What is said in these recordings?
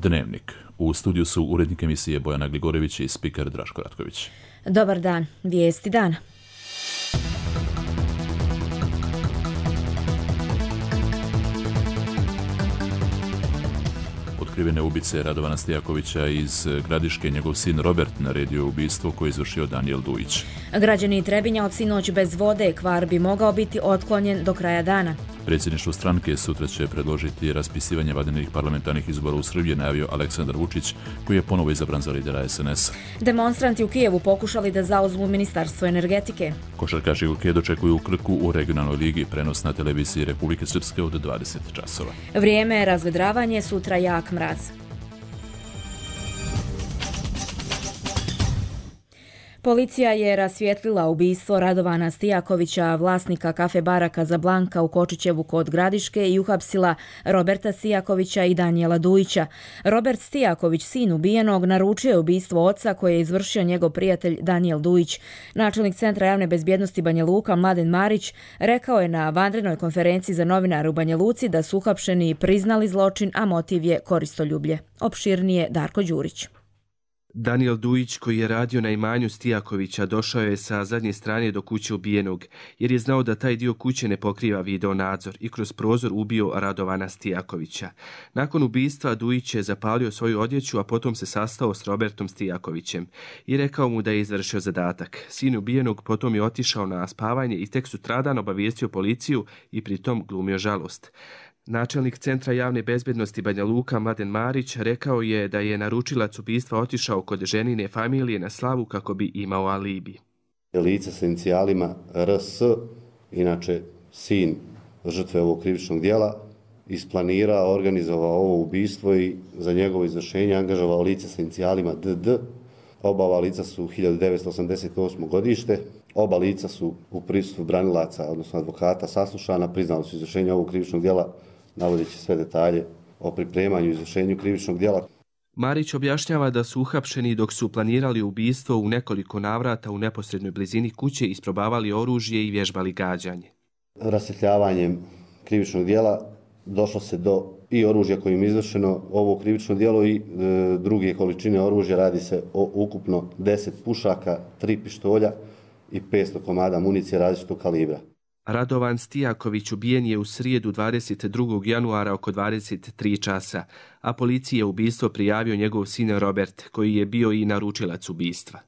Dnevnik. U studiju su urednik emisije Bojana Gligorević i spiker Draško Ratković. Dobar dan, vijesti dana. Otkrivene ubice Radovana Stijakovića iz Gradiške, njegov sin Robert naredio ubistvo koje je izvršio Danijel Dujić. Građani Trebinja od sinoć bez vode, kvar bi mogao biti otklonjen do kraja dana. Predsjedništvo stranke sutra će predložiti raspisivanje vanrednih parlamentarnih izbora u Srbiji, najavio Aleksandar Vučić, koji je ponovo izabran za lidera SNS. Demonstranti u Kijevu pokušali da zauzmu Ministarstvo energetike. Košarkaši Luke dočekuju Krku u regionalnoj ligi, prenos na televiziji Republike Srpske od 20 časova. Vrijeme razvedravanje, sutra jak mraz. Policija je rasvijetlila ubistvo Radovana Stijakovića, vlasnika kafe bara Kazablanka u Kočićevu kod Gradiške, i uhapsila Roberta Stijakovića i Danijela Dujića. Robert Stijaković, sin ubijenog, naručio je ubistvo oca koje je izvršio njegov prijatelj Danijel Dujić. Načelnik Centra javne bezbjednosti Banja Luka Mladen Marić rekao je na vanrednoj konferenciji za novinare u Banja Luci da su uhapšeni priznali zločin, a motiv je koristoljublje. Opširnije Darko Đurić. Danijel Dujić, koji je radio na imanju Stijakovića, došao je sa zadnje strane do kuće ubijenog, jer je znao da taj dio kuće ne pokriva video nadzor, i kroz prozor ubio Radovana Stijakovića. Nakon ubistva Dujić je zapalio svoju odjeću, a potom se sastao s Robertom Stijakovićem i rekao mu da je izvršio zadatak. Sin ubijenog potom je otišao na spavanje i tek sutradan obavijestio policiju i pritom glumio žalost. Načelnik Centra javne bezbjednosti Banja Luka Mladen Marić rekao je da je naručilac ubistva otišao kod ženine familije na slavu kako bi imao alibi. Lice sa inicijalima RS, inače sin žrtve ovog krivičnog djela, isplanirao, organizovao ovo ubistvo i za njegovo izvršenje angažovao lice sa inicijalima DD. Oba ova lica su 1988. godište. Oba lica su u prisustvu branilaca, odnosno advokata, saslušana, priznali su izvršenje ovog krivičnog djela, navodeći sve detalje o pripremanju i izvršenju krivičnog djela. Marić objašnjava da su uhapšeni dok su planirali ubistvo u nekoliko navrata u neposrednoj blizini kuće, isprobavali oružje i vježbali gađanje. Rasvjetljavanjem krivičnog djela došlo se do i oružja kojim je izvršeno ovo krivično djelo i druge količine oružja. Radi se o ukupno 10 pušaka, 3 pištolja i 500 komada municije različitog kalibra. Radovan Stijaković ubijen je u srijedu 22. januara oko 23 časa, a policiji je ubistvo prijavio njegov sin Robert, koji je bio i naručilac ubistva.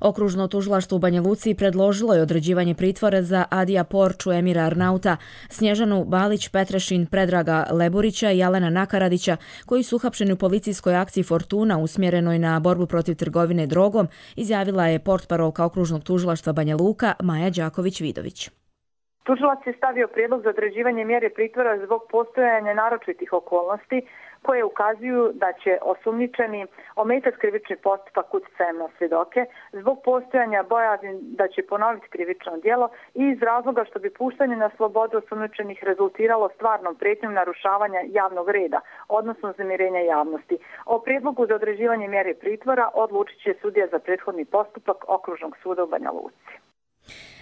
Okružno tužilaštvo u Banja Luci predložilo je određivanje pritvora za Adija Porču, Emira Arnauta, Snježanu Balić, Petrešin, Predraga Leburića i Jelena Nakaradića, koji su uhapšeni u policijskoj akciji Fortuna usmjerenoj na borbu protiv trgovine drogom, izjavila je portparolka okružnog tužilaštva Banja Luka Maja Đaković-Vidović. Tužilac je stavio prijedlog za određivanje mjere pritvora zbog postojanja naročitih okolnosti koje ukazuju da će osumnjičeni ometati krivični postupak utjecajem na svjedoke zbog postojanja bojazni da će ponoviti krivično djelo i iz razloga što bi puštanje na slobodu osumnjičenih rezultiralo stvarnom prijetnjom narušavanja javnog reda, odnosno uznemirenja javnosti. O prijedlogu za određivanje mjere pritvora odlučit će sudija za prethodni postupak Okružnog suda u Banja Luci.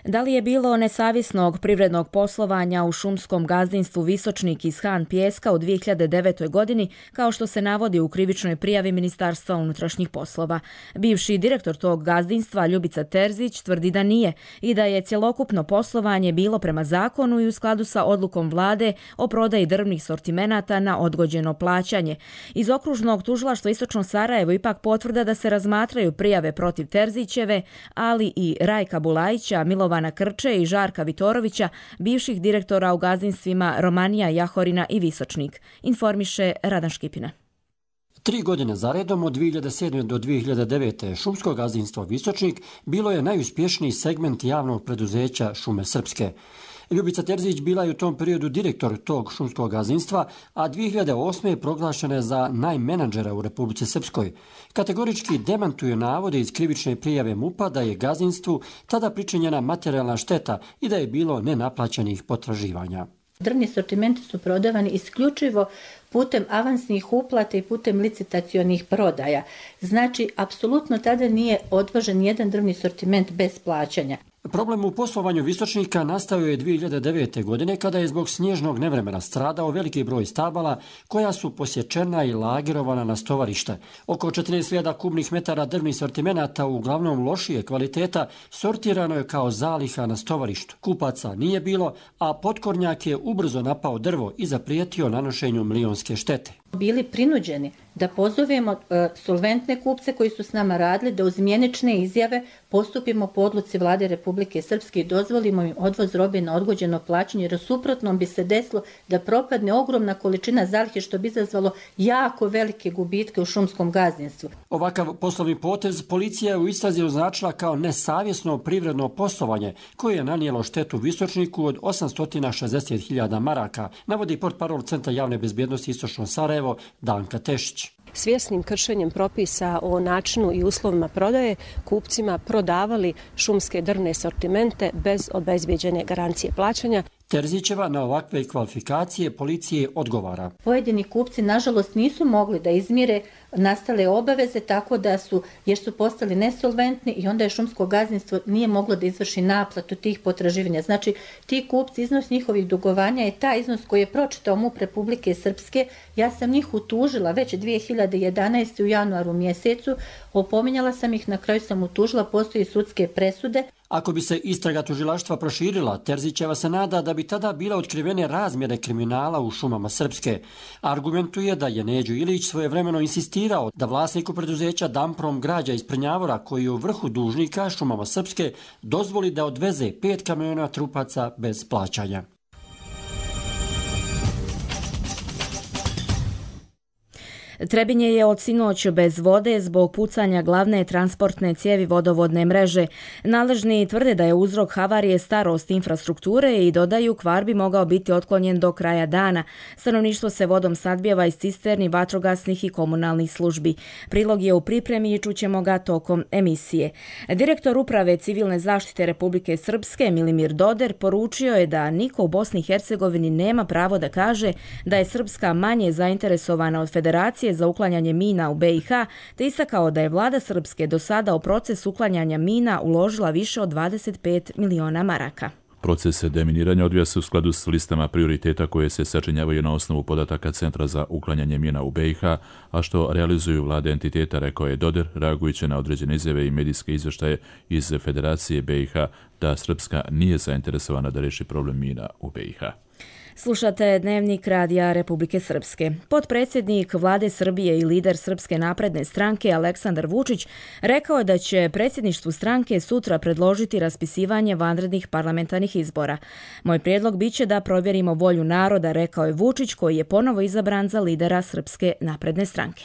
Da li je bilo nesavjesnog privrednog poslovanja u šumskom gazdinstvu Visočnik iz Han Pijeska u 2009. godini, kao što se navodi u krivičnoj prijavi Ministarstva unutrašnjih poslova? Bivši direktor tog gazdinstva Ljubica Terzić tvrdi da nije i da je cjelokupno poslovanje bilo prema zakonu i u skladu sa odlukom vlade o prodaji drvnih sortimenata na odgođeno plaćanje. Iz okružnog tužilaštva Istočno Sarajevo ipak potvrda da se razmatraju prijave protiv Terzićeve, ali i Rajka Bulajića, Milovana Krče i Žarka Vitorovića, bivših direktora u gazdinstvima Romanija, Jahorina i Visočnik, informiše Radan Škipina. 3 godine zaredom od 2007. do 2009. šumsko gazdinstvo Visočnik bilo je najuspješniji segment javnog preduzeća Šume Srpske. Ljubica Terzić bila je u tom periodu direktor tog šumskog gazdinstva, a 2008. je proglašena za najmenadžera u Republici Srpskoj. Kategorički demantuje navode iz krivične prijave MUP-a da je gazdinstvu tada pričinjena materijalna šteta i da je bilo nenaplaćenih potraživanja. Drvni sortimenti su prodavani isključivo putem avansnih uplata i putem licitacionih prodaja. Znači, apsolutno tada nije odvožen jedan drvni sortiment bez plaćanja. Problem u poslovanju Visočnika nastao je 2009. godine kada je zbog snježnog nevremena stradao veliki broj stabala koja su posječena i lagerovana na stovarište. Oko 14.000 kubnih metara drvnih sortimenata, uglavnom lošije kvaliteta, sortirano je kao zaliha na stovarištu. Kupaca nije bilo, a potkornjak je ubrzo napao drvo i zaprijetio nanošenju milionske štete. Bili prinuđeni da pozovemo solventne kupce koji su s nama radili, da uz mjenične izjave postupimo po odluci Vlade Republike Srpske i dozvolimo im odvoz robe na odgođeno plaćanje, jer u suprotnom bi se desilo da propadne ogromna količina zalihe, što bi izazvalo jako velike gubitke u šumskom gazdinstvu. Ovakav poslovni potez policija je u istrazi označila kao nesavjesno privredno poslovanje koje je nanijelo štetu Visočniku od 860.000 maraka, navodi portparol Centra javne bezbjednosti Istočno Sarajevo Danka Tešić. Svjesnim kršenjem propisa o načinu i uslovima prodaje, kupcima prodavali šumske drvne sortimente bez obezbijeđene garancije plaćanja. Terzićeva na ovakve kvalifikacije policije odgovara. Pojedini kupci nažalost nisu mogli da izmire nastale obaveze, tako da jer su postali nesolventni i onda je šumsko gazdinstvo nije moglo da izvrši naplatu tih potraživanja. Znači, ti kupci, iznos njihovih dugovanja je taj iznos koji je pročitao MUP Republike Srpske. Ja sam njih utužila već 2011. u januaru mjesecu, opominjala sam ih, na kraju sam utužila, postoji sudske presude. Ako bi se istraga tužilaštva proširila, Terzićeva se nada da bi tada bile otkrivene razmjere kriminala u šumama Srpske. Argumentuje da je Neđo Ilić svojevremeno insistirao da vlasniku preduzeća Damprom Građa iz Prnjavora, koji je u vrhu dužnika šumama Srpske, dozvoli da odveze 5 kamiona trupaca bez plaćanja. Trebinje je od sinoć bez vode zbog pucanja glavne transportne cijevi vodovodne mreže. Nadležni tvrde da je uzrok havarije starost infrastrukture i dodaju kvar bi mogao biti otklonjen do kraja dana. Stanovništvo se vodom snabdijeva iz cisterni, vatrogasnih i komunalnih službi. Prilog je u pripremi i čućemo ga tokom emisije. Direktor Uprave civilne zaštite Republike Srpske Milimir Doder poručio je da niko u Bosni i Hercegovini nema pravo da kaže da je Srpska manje zainteresovana od Federacije za uklanjanje mina u BiH, te istakao da je vlada Srpske do sada u proces uklanjanja mina uložila više od 25 miliona maraka. Proces deminiranja odvija se u skladu s listama prioriteta koje se sačinjavaju na osnovu podataka Centra za uklanjanje mina u BiH, a što realizuju vlade entiteta, rekao je Doder, reagujući na određene izjave i medijske izvještaje iz Federacije BiH da Srpska nije zainteresovana da riješi problem mina u BiH. Slušate Dnevnik Radija Republike Srpske. Potpredsjednik Vlade Srbije i lider Srpske napredne stranke Aleksandar Vučić rekao je da će predsjedništvu stranke sutra predložiti raspisivanje vanrednih parlamentarnih izbora. Moj prijedlog biće da provjerimo volju naroda, rekao je Vučić, koji je ponovo izabran za lidera Srpske napredne stranke.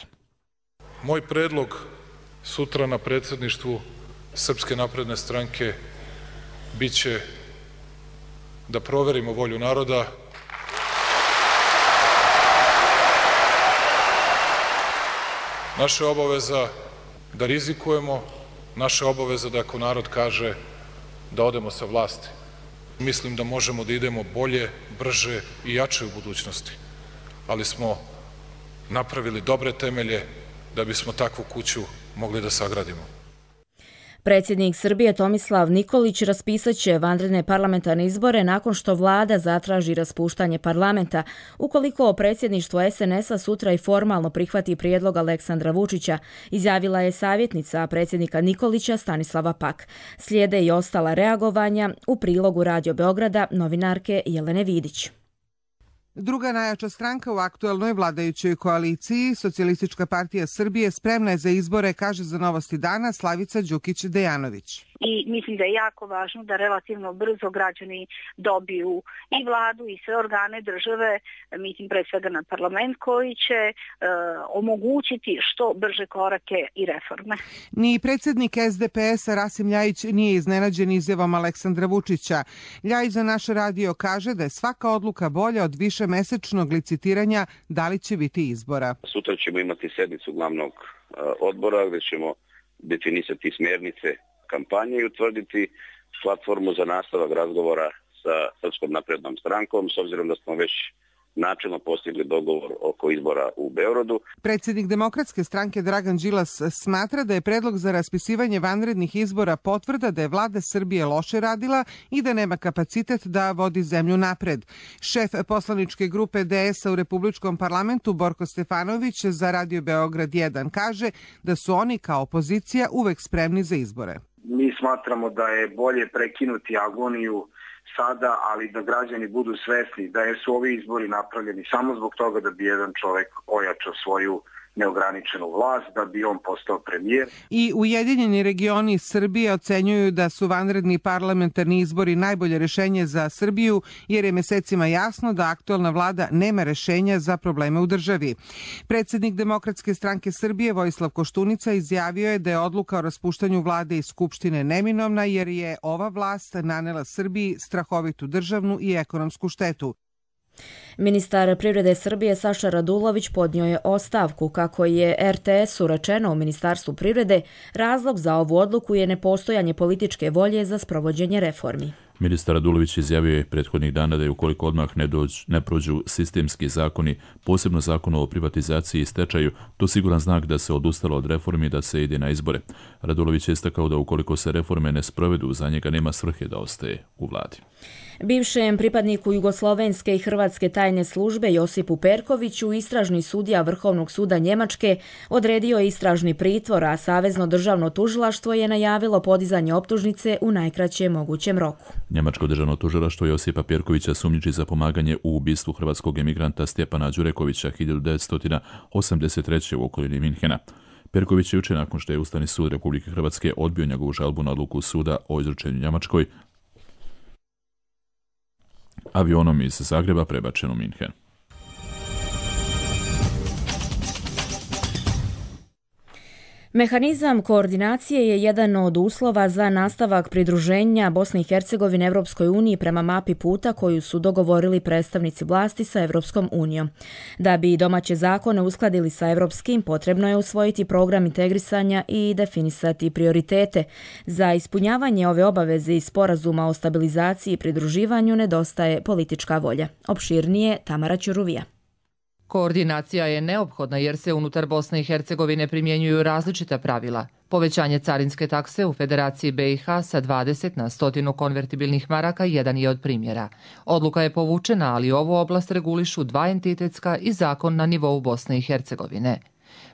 Moj predlog sutra na predsjedništvu Srpske napredne stranke biće da proverimo volju naroda, naša je obaveza da rizikujemo, naša je obaveza da ako narod kaže da odemo sa vlasti. Mislim da možemo da idemo bolje, brže i jače u budućnosti, ali smo napravili dobre temelje da bismo takvu kuću mogli da sagradimo. Predsjednik Srbije Tomislav Nikolić raspisat će vanredne parlamentarne izbore nakon što vlada zatraži raspuštanje parlamenta, ukoliko predsjedništvo SNS-a sutra i formalno prihvati prijedlog Aleksandra Vučića, izjavila je savjetnica predsjednika Nikolića Stanislava Pak. Slijede i ostala reagovanja u prilogu Radio Beograda novinarke Jelene Vidić. Druga najjača stranka u aktuelnoj vladajućoj koaliciji, Socijalistička partija Srbije, spremna je za izbore, kaže za Novosti dana Slavica Đukić-Dejanović. I mislim da je jako važno da relativno brzo građani dobiju i vladu i sve organe države, mislim pre svega na parlament, koji će omogućiti što brže korake i reforme. Ni predsjednik SDP-a Rasim Ljajić nije iznenađen izjavom Aleksandra Vučića. Ljajić za naš radio kaže da je svaka odluka bolja od višemesečnog licitiranja da li će biti izbora. Sutra ćemo imati sednicu glavnog odbora gdje ćemo definisati smjernice kampanje i utvrditi platformu za nastavak razgovora sa Srpskom naprednom strankom, s obzirom da smo već načelno postigli dogovor oko izbora u Beogradu. Predsjednik Demokratske stranke Dragan Đilas smatra da je predlog za raspisivanje vanrednih izbora potvrda da je vlada Srbije loše radila i da nema kapacitet da vodi zemlju napred. Šef poslaničke grupe DS-a u Republičkom parlamentu Borko Stefanović za Radio Beograd 1 kaže da su oni kao opozicija uvek spremni za izbore. Mi smatramo da je bolje prekinuti agoniju sada, ali da građani budu svesni da su ovi izbori napravljeni samo zbog toga da bi jedan čovjek ojačao svoju neograničenu vlast, da bi on postao premijer. I Ujedinjeni regioni Srbije ocenjuju da su vanredni parlamentarni izbori najbolje rešenje za Srbiju, jer je mesecima jasno da aktualna vlada nema rešenja za probleme u državi. Predsjednik Demokratske stranke Srbije Vojislav Koštunica izjavio je da je odluka o raspuštanju vlade i skupštine neminovna, jer je ova vlast nanela Srbiji strahovitu državnu i ekonomsku štetu. Ministar privrede Srbije Saša Radulović podnio je ostavku. Kako je RTS-u rečeno u Ministarstvu privrede, razlog za ovu odluku je nepostojanje političke volje za sprovođenje reformi. Ministar Radulović izjavio je prethodnih dana da je ukoliko odmah ne prođu sistemski zakoni, posebno zakon o privatizaciji i stečaju, to siguran znak da se odustalo od reformi i da se ide na izbore. Radulović je istakao da ukoliko se reforme ne sprovedu, za njega nema svrhe da ostaje u vladi. Bivšem pripadniku Jugoslovenske i Hrvatske tajne službe Josipu Perkoviću istražni sudija Vrhovnog suda Njemačke odredio je istražni pritvor, a Savezno državno tužilaštvo je najavilo podizanje optužnice u najkraćem mogućem roku. Njemačko državno tužilaštvo Josipa Perkovića sumnjiči za pomaganje u ubistvu hrvatskog emigranta Stjepana Đurekovića 1983. u okolini Minhena. Perković je jučer, nakon što je Ustavni sud Republike Hrvatske odbio njegovu žalbu na odluku suda o izručenju Njemačkoj, avionom iz Zagreba prebačen u Minhen. Mehanizam koordinacije je jedan od uslova za nastavak pridruženja Bosne i Hercegovine Evropskoj uniji prema mapi puta koju su dogovorili predstavnici vlasti sa Evropskom unijom. Da bi domaće zakone uskladili sa evropskim, potrebno je usvojiti program integrisanja i definisati prioritete. Za ispunjavanje ove obaveze iz sporazuma o stabilizaciji i pridruživanju nedostaje politička volja. Opširnije Tamara Ćuruvija. Koordinacija je neophodna jer se unutar Bosne i Hercegovine primjenjuju različita pravila. Povećanje carinske takse u Federaciji BiH sa 20 na 100 konvertibilnih maraka jedan je od primjera. Odluka je povučena, ali ovu oblast regulišu dva entitetska i zakon na nivou Bosne i Hercegovine.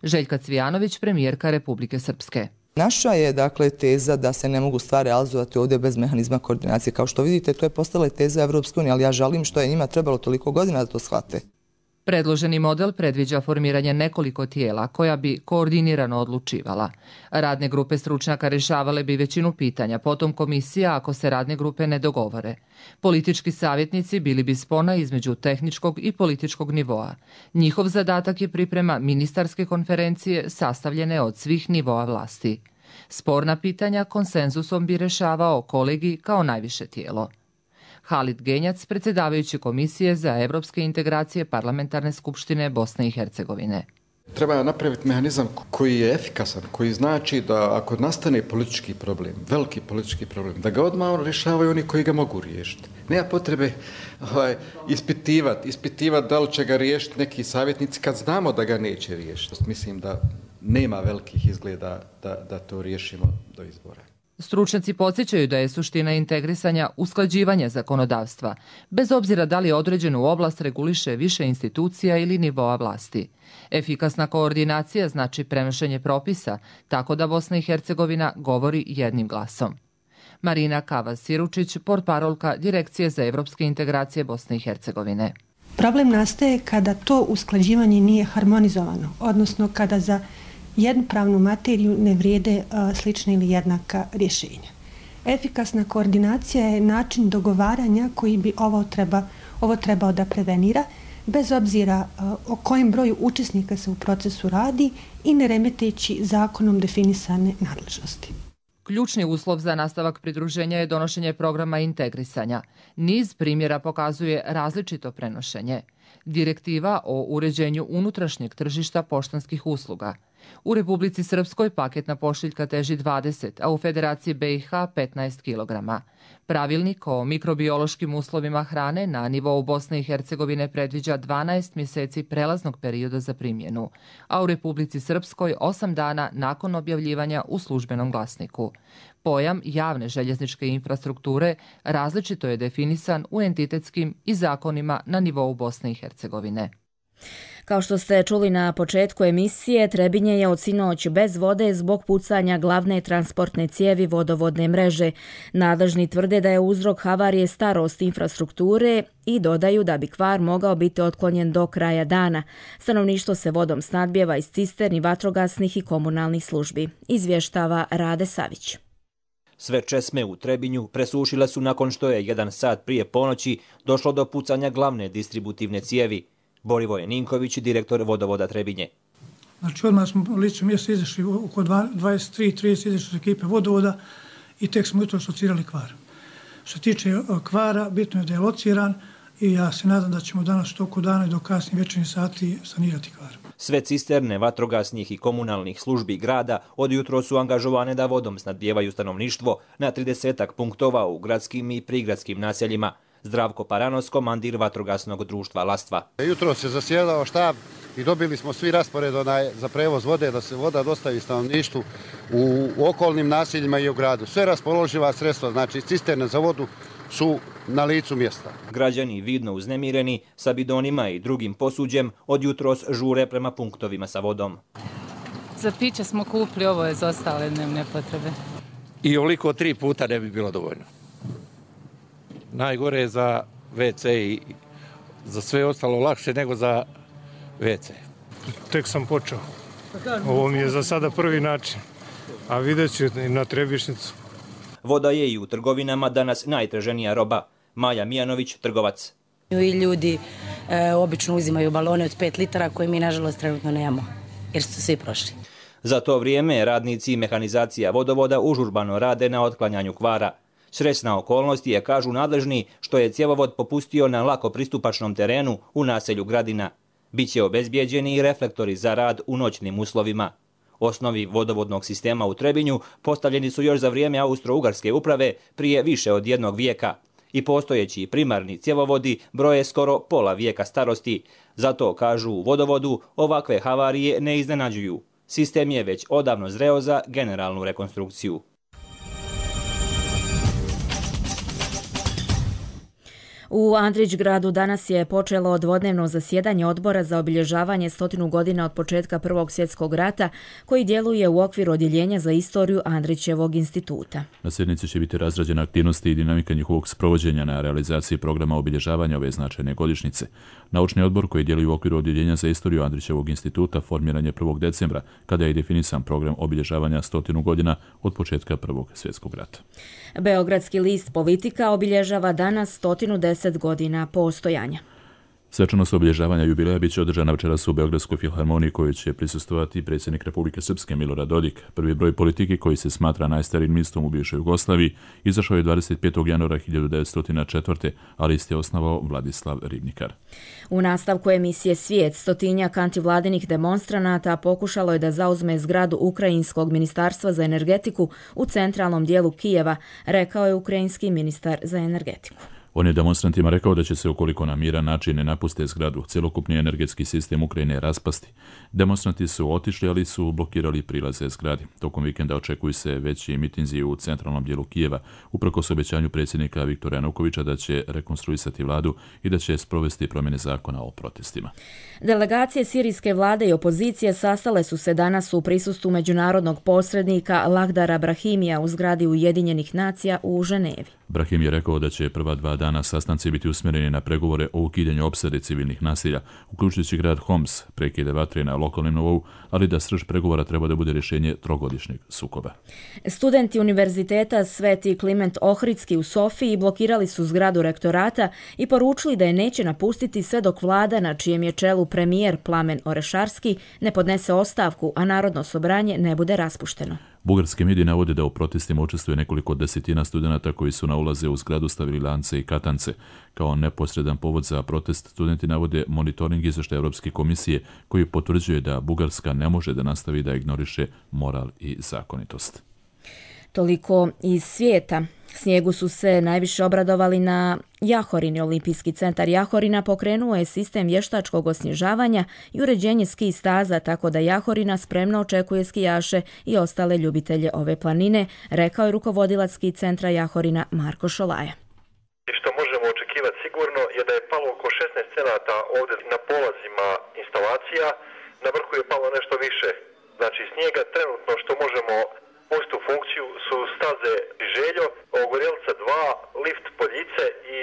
Željka Cvijanović, premijerka Republike Srpske. Naša je dakle teza da se ne mogu stvari realizovati ovdje bez mehanizma koordinacije. Kao što vidite, to je postala teza Evropske unije, ali ja žalim što je njima trebalo toliko godina da to shvate. Predloženi model predviđa formiranje nekoliko tijela koja bi koordinirano odlučivala. Radne grupe stručnjaka rješavale bi većinu pitanja, potom komisija ako se radne grupe ne dogovore. Politički savjetnici bili bi spona između tehničkog i političkog nivoa. Njihov zadatak je priprema ministarske konferencije sastavljene od svih nivoa vlasti. Sporna pitanja konsenzusom bi rješavao kolegij kao najviše tijelo. Halid Genjac, predsjedavajući Komisije za evropske integracije Parlamentarne skupštine Bosne i Hercegovine. Treba napraviti mehanizam koji je efikasan, koji znači da ako nastane politički problem, veliki politički problem, da ga odmah rješavaju oni koji ga mogu riješiti. Nema potrebe ispitivati da li će ga riješiti neki savjetnici kad znamo da ga neće riješiti. Mislim da nema velikih izgleda da to riješimo do izbora. Stručnjaci podsjećaju da je suština integrisanja usklađivanja zakonodavstva, bez obzira da li određenu oblast reguliše više institucija ili nivoa vlasti. Efikasna koordinacija znači prenošenje propisa, tako da Bosna i Hercegovina govori jednim glasom. Marina Kavas-Siručić, portparolka Direkcije za evropske integracije Bosne i Hercegovine. Problem nastaje kada to usklađivanje nije harmonizovano, odnosno kada za jednu pravnu materiju ne vrijede slična ili jednaka rješenja. Efikasna koordinacija je način dogovaranja koji bi ovo trebao da prevenira, bez obzira o kojem broju učesnika se u procesu radi i ne remeteći zakonom definisane nadležnosti. Ključni uslov za nastavak pridruženja je donošenje programa integrisanja. Niz primjera pokazuje različito prenošenje. Direktiva o uređenju unutrašnjeg tržišta poštanskih usluga. U Republici Srpskoj paketna pošiljka teži 20, a u Federaciji BiH 15 kg. Pravilnik o mikrobiološkim uslovima hrane na nivou Bosne i Hercegovine predviđa 12 mjeseci prelaznog perioda za primjenu, a u Republici Srpskoj 8 dana nakon objavljivanja u službenom glasniku. Pojam javne željezničke infrastrukture različito je definisan u entitetskim i zakonima na nivou Bosne i Hercegovine. Kao što ste čuli na početku emisije, Trebinje je od sinoć bez vode zbog pucanja glavne transportne cijevi vodovodne mreže. Nadležni tvrde da je uzrok havarije starost infrastrukture i dodaju da bi kvar mogao biti otklonjen do kraja dana. Stanovništvo se vodom snadbijeva iz cisterni, vatrogasnih i komunalnih službi. Izvještava Rade Savić. Sve česme u Trebinju presušile su nakon što je 1 sat prije ponoći došlo do pucanja glavne distributivne cijevi. Borivoje Ninković, direktor vodovoda Trebinje. Znači odmah smo u licu mjesta izašli oko 23:30 izašli ekipe vodovoda i tek smo jutro locirali kvar. Što se tiče kvara, bitno je da je lociran i ja se nadam da ćemo danas u toku dana i do kasnih večernjih sati sanirati kvar. Sve cisterne vatrogasnih i komunalnih službi grada od jutro su angažovane da vodom snadbijevaju stanovništvo na 30 punktova u gradskim i prigradskim naseljima. Zdravko Paranos, komandir vatrogasnog društva Lastva. Jutro se zasjedao štab i dobili smo svi raspored za prevoz vode, da se voda dostavi stanovništvu u okolnim naseljima i u gradu. Sve raspoloživa sredstva, znači cisterne za vodu, su na licu mjesta. Građani vidno uznemireni sa bidonima i drugim posuđem od jutros žure prema punktovima sa vodom. Za piće smo kupili, ovo je za ostale dnevne potrebe. I ovoliko 3 puta ne bi bilo dovoljno. Najgore je za WC i za sve ostalo lakše nego za WC. Tek sam počeo. Ovo mi je za sada prvi način, a vidjet ću i na Trebišnicu. Voda je i u trgovinama danas najtraženija roba. Maja Mijanović, trgovac. I ljudi obično uzimaju balone od 5 litara koje mi nažalost trenutno nemamo, jer su svi prošli. Za to vrijeme radnici i mehanizacija vodovoda užurbano rade na otklanjanju kvara. Srećna okolnost je, kažu nadležni, što je cjevovod popustio na lako pristupačnom terenu u naselju Gradina. Biće obezbijeđeni i reflektori za rad u noćnim uslovima. Osnovi vodovodnog sistema u Trebinju postavljeni su još za vrijeme Austro-Ugarske uprave prije više od 1 vijeka. I postojeći primarni cjevovodi broje skoro pola vijeka starosti. Zato, kažu u vodovodu, ovakve havarije ne iznenađuju. Sistem je već odavno zreo za generalnu rekonstrukciju. U Andrićgradu danas je počelo dvodnevno zasjedanje odbora za obilježavanje 100 godina od početka Prvog svjetskog rata, koji djeluje u okviru odjeljenja za istoriju Andrićevog instituta. Na sjednici će biti razrađena aktivnosti i dinamika njihovog sprovođenja na realizaciji programa obilježavanja ove značajne godišnjice. Naučni odbor koji djeluje u okviru odjeljenja za istoriju Andrićevog instituta formiran je 1. decembra, kada je definisan program obilježavanja 100 godina od početka Prvog svjetskog rata. Beogradski list Politika obilježava danas 110 godina postojanja. Svečanost obilježavanja jubileja biće održana večeras u Beogradskoj filharmoniji, koju će prisustvovati predsjednik Republike Srpske Milorad Dodik. Prvi broj Politike, koji se smatra najstarijim listom u bivšoj Jugoslaviji, izašao je 25. januara 1904. a list je osnovao Vladislav Ribnikar. U nastavku emisije Svijet, 100-tinjak antivladinih demonstranata pokušalo je da zauzme zgradu Ukrajinskog ministarstva za energetiku u centralnom dijelu Kijeva, rekao je ukrajinski ministar za energetiku. On je demonstrantima rekao da će se, ukoliko na miran način ne napuste zgradu, cjelokupni energetski sistem Ukrajine raspasti. Demonstranti su otišli, ali su blokirali prilaze zgradi. Tokom vikenda očekuju se veći mitinzi u centralnom dijelu Kijeva, uprkos obećanju predsjednika Viktora Janukovića da će rekonstruisati vladu i da će sprovesti promjene zakona o protestima. Delegacije sirijske vlade i opozicije sastale su se danas u prisustvu međunarodnog posrednika Lahdara Brahimija u zgradi Ujedinjenih nacija u Ženevi. Brahim je rekao da će prva 2 dana sastanci biti usmjereni na pregovore o ukidanju opsade civilnih nasilja, uključujući grad Homs, prekide vatre na lokalnom nivou, ali da srž pregovora treba da bude rješenje trogodišnjeg sukoba. Studenti Univerziteta Sveti Kliment Ohridski u Sofiji blokirali su zgradu rektorata i poručili da je neće napustiti sve dok vlada, na čijem je čelu premijer Plamen Orešarski, ne podnese ostavku, a Narodno sobranje ne bude raspušteno. Bugarski mediji navode da u protestima učestvuje nekoliko desetina studenata koji su na ulaze u zgradu stavili lance i katance. Kao neposredan povod za protest studenti navode monitoring izvještaja Europske komisije koji potvrđuje da Bugarska ne može da nastavi da ignoriše moral i zakonitost. Toliko iz svijeta. Snijegu su se najviše obradovali na Jahorini. Olimpijski centar Jahorina pokrenuo je sistem vještačkog osnježavanja i uređenje ski staza, tako da Jahorina spremno očekuje skijaše i ostale ljubitelje ove planine, rekao je rukovodilac ski centra Jahorina Marko Šolaja. Što možemo očekivati sigurno je da je palo oko 16 cenata ovdje na polazima instalacija, na vrhu je palo nešto više. Znači snijega trenutno što možemo pustiti u funkciju su staze Željo, Ogorjelca 2, lift Poljice i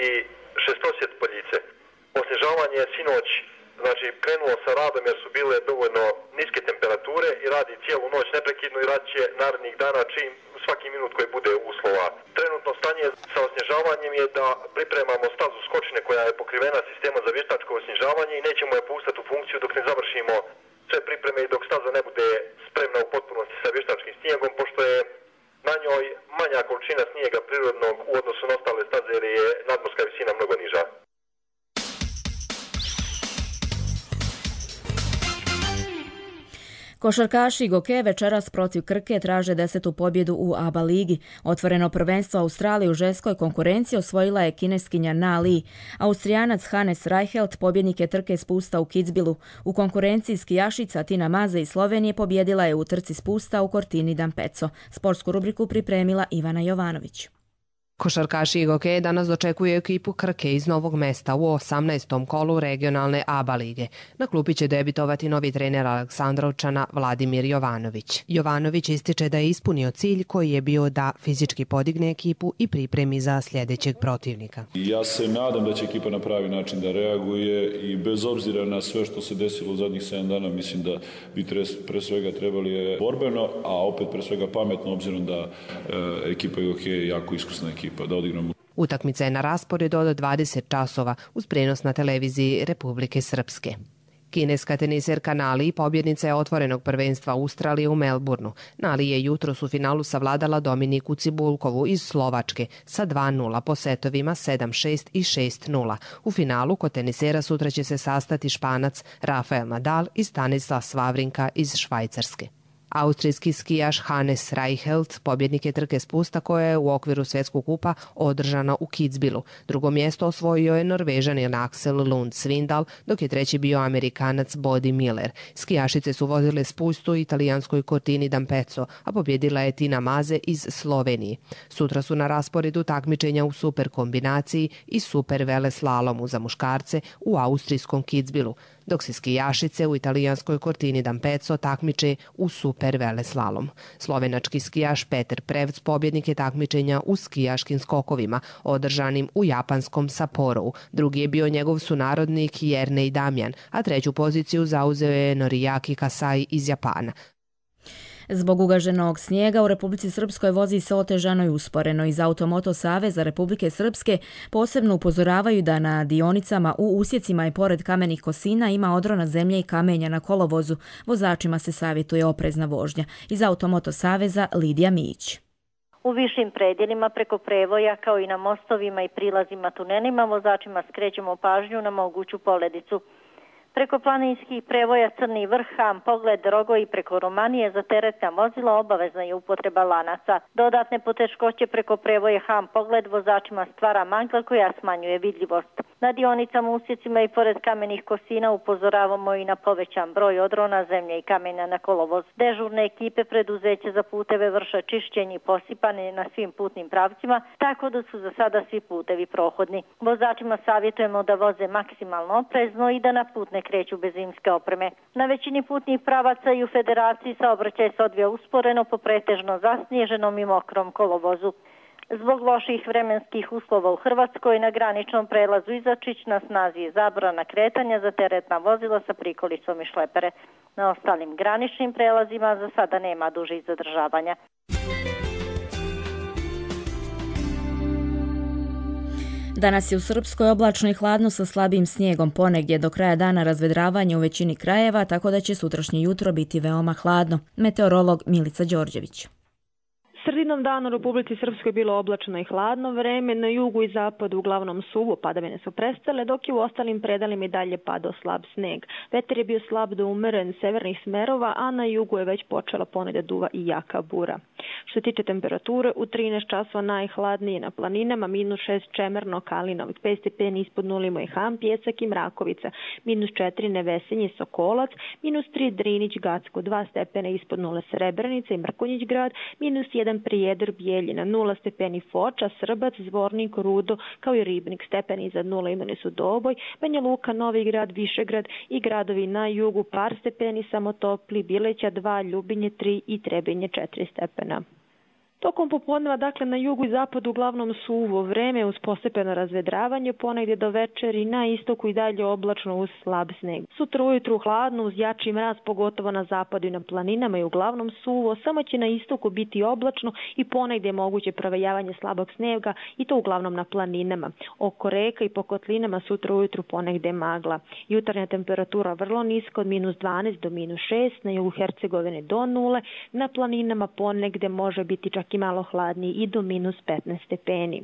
šestosjet Poljice. Osnježavanje je sinoć krenulo sa radom jer su bile dovoljno niske temperature i radi cijelu noć neprekidno i radit će narednih dana čim svaki minut koji bude uslova. Trenutno stanje sa osnježavanjem je da pripremamo stazu Skočine koja je pokrivena sistemom za vještačko osnježavanje i nećemo je pustiti u funkciju dok ne završimo sve pripreme i dok staza ne bude spremna u potpunosti sa vještačkim snijegom, pošto je na njoj manja količina snijega prirodnog u odnosu na ostale staze jer je nadmorska visina mnogo niža. Košarkaši Goke večeras protiv Krke traže 10. pobjedu u ABA ligi. Otvoreno prvenstvo Australije u ženskoj konkurenciji osvojila je kineskinja Na Li. Austrijanac Hannes Reichelt pobjednik je trke spusta u Kitzbühelu. U konkurenciji skijašica Tina Maze iz Slovenije pobjedila je u trci spusta u Cortini d'Ampezzo. Sportsku rubriku pripremila Ivana Jovanović. Košarkaši Igoke danas dočekuju ekipu Krke iz Novog Mesta u 18. kolu regionalne ABA lige. Na klupi će debitovati novi trener Aleksandrovčana Vladimir Jovanović. Jovanović ističe da je ispunio cilj koji je bio da fizički podigne ekipu i pripremi za sljedećeg protivnika. Ja se nadam da će ekipa na pravi način da reaguje i bez obzira na sve što se desilo u zadnjih 7 dana, mislim da bi pre svega trebali borbeno, a opet pre svega pametno, obzirom da ekipa Igoke je jako iskusna ekipa. Utakmica je na rasporedu od 20 časova uz prenos na televiziji Republike Srpske. Kineska teniserka Na Li pobjednica je otvorenog prvenstva Australije u Melbourneu. Na Li je jutros u finalu savladala Dominiku Cibulkovu iz Slovačke sa 2-0 po setovima 7-6 i 6-0. U finalu kod tenisera sutra će se sastati Španac Rafael Nadal i Stanislav Wawrinka iz Švajcarske. Austrijski skijaš Hannes Reichelt pobjednik je trke spusta koja je u okviru svjetskog kupa održana u Kitzbühelu. Drugo mjesto osvojio je Norvežanin Axel Lund Svindal, dok je treći bio Amerikanac Bodi Miller. Skijašice su vozile spustu u italijanskoj Cortini d'Ampezzo, a pobjedila je Tina Maze iz Slovenije. Sutra su na rasporedu takmičenja u super kombinaciji i super veleslalomu za muškarce u austrijskom Kitzbühelu, dok se skijašice u italijanskoj Cortini d'Ampezzo takmiče u super veleslalom. Slovenački skijaš Peter Prevc pobjednik je takmičenja u skijaškim skokovima, održanim u japanskom Sapporovu. Drugi je bio njegov sunarodnik Jernej Damjan, a treću poziciju zauzeo je Noriaki Kasai iz Japana. Zbog ugaženog snijega u Republici Srpskoj vozi se otežano i usporeno. Iz Automoto Saveza Republike Srpske posebno upozoravaju da na dionicama u usjecima i pored kamenih kosina ima odrona zemlje i kamenja na kolovozu. Vozačima se savjetuje oprezna vožnja. Iz Automoto Saveza Lidija Mijić. U višim predjelima preko prevoja kao i na mostovima i prilazima tunelima vozačima skrećemo pažnju na moguću poledicu. Preko planinskih prevoja Crni vrh, Ham Pogled, Rogo i preko Romanije za teretna vozila obavezna je upotreba lanaca. Dodatne poteškoće preko prevoja Ham Pogled vozačima stvara magla koja smanjuje vidljivost. Na dionicama, usjecima i pored kamenih kosina upozoravamo i na povećan broj odrona zemlje i kamenja na kolovoz. Dežurne ekipe preduzeća za puteve vrše čišćenje i posipanje na svim putnim pravcima, tako da su za sada svi putevi prohodni. Vozačima savjetujemo da voze maksimalno oprezno i da na put ne kreću bez zimske opreme. Na većini putnih pravaca i u Federaciji saobraćaj se odvija usporeno po pretežno zasnježenom i mokrom kolovozu. Zbog loših vremenskih uslova u Hrvatskoj na graničnom prelazu Izačić na snazi je zabrana kretanja za teretna vozila sa prikolicom i šlepere. Na ostalim graničnim prelazima za sada nema dužih zadržavanja. Danas je u Srpskoj oblačno i hladno sa slabim snijegom, ponegdje do kraja dana razvedravanje u većini krajeva, tako da će sutrašnje jutro biti veoma hladno. Meteorolog Milica Đorđević. Sredinom dana u Republici Srpskoj bilo oblačno i hladno vreme, na jugu i zapadu uglavnom suvo, padavine su prestale, dok je u ostalim predalima i dalje padao slab sneg. Vetar je bio slab do umeren severnih smerova, a na jugu je već počela ponegde duva i jaka bura. Što se tiče temperature, u 13 časova najhladnije na planinama, -6 Čemerno, Kalinovac, 5 stepeni ispod nule Mojhan, Pjesak i Mrakovica, -4 Nevesenje, Sokolac, -3 Drinić, Gacko, 2 stepena ispod nule Srebrenica i Mrkonjić grad, -1 Prijedor, Bijeljina, 0 stepeni Foča, Srbac, Zvornik, Rudo, kao i Ribnik, stepeni iznad nula imeni su Doboj, Banja Luka, Novi Grad, Višegrad i gradovi na jugu par stepeni samo topli, Bileća 2, Ljubinje 3 i Trebinje 4 stepena. Tokom popodneva, dakle, na jugu i zapadu uglavnom suvo vreme uz postepeno razvedravanje, ponegdje do večeri, na istoku i dalje oblačno uz slab sneg. Sutra ujutru hladno uz jači mraz, pogotovo na zapadu i na planinama i uglavnom suvo, samo će na istoku biti oblačno i ponegdje moguće provejavanje slabog snega i to uglavnom na planinama. Oko reka i po kotlinama sutra ujutru ponegdje magla. Jutarnja temperatura vrlo niska od -12 do -6, na jugu Hercegovine do 0, na planinama ponegdje može biti čak i malo hladniji i do -15 stepeni.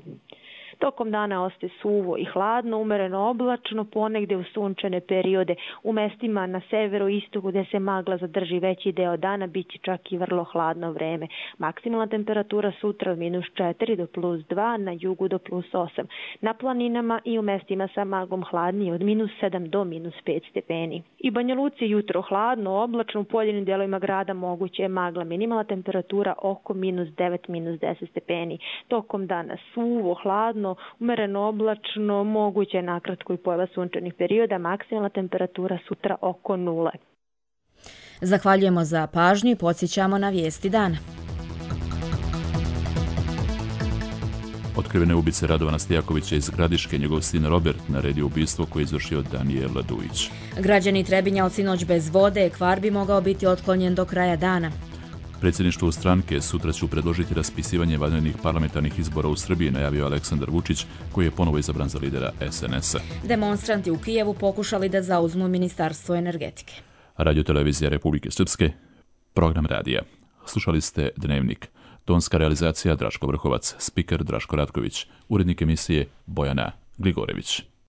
Tokom dana ostaje suvo i hladno, umereno oblačno, ponegdje u sunčane periode. U mestima na severu i istoku gdje se magla zadrži veći deo dana, bit će čak i vrlo hladno vreme. Maksimalna temperatura sutra od -4 do +2, na jugu do +8. Na planinama i u mestima sa maglom hladnije od -7 do -5 stepeni. I Banja Luci jutro hladno, oblačno, u pojedinim dijelovima grada moguće je magla. Minimalna temperatura oko -9, -10 stepeni. Tokom dana suvo, hladno, umereno oblačno, moguće je nakratko i pojava sunčanih perioda, maksimalna temperatura sutra oko 0. Zahvaljujemo za pažnju i podsjećamo na vijesti dana. Otkrivene ubice Radovana Stijakovića iz Gradiške, njegov sin Robert naredio ubistvo koje je izvršio Danijel Dujić. Građani Trebinja od sinoć bez vode, kvar bi mogao biti otklonjen do kraja dana. Predsjedništvo stranke sutra će predložiti raspisivanje vanrednih parlamentarnih izbora u Srbiji, najavio Aleksandar Vučić, koji je ponovo izabran za lidera SNS-a. Demonstranti u Kijevu pokušali da zauzmu Ministarstvo energetike. Radio-televizija Republike Srpske, program radija. Slušali ste Dnevnik. Tonska realizacija Draško Vrhovac, spiker Draško Ratković, urednik emisije Bojana Gligorević.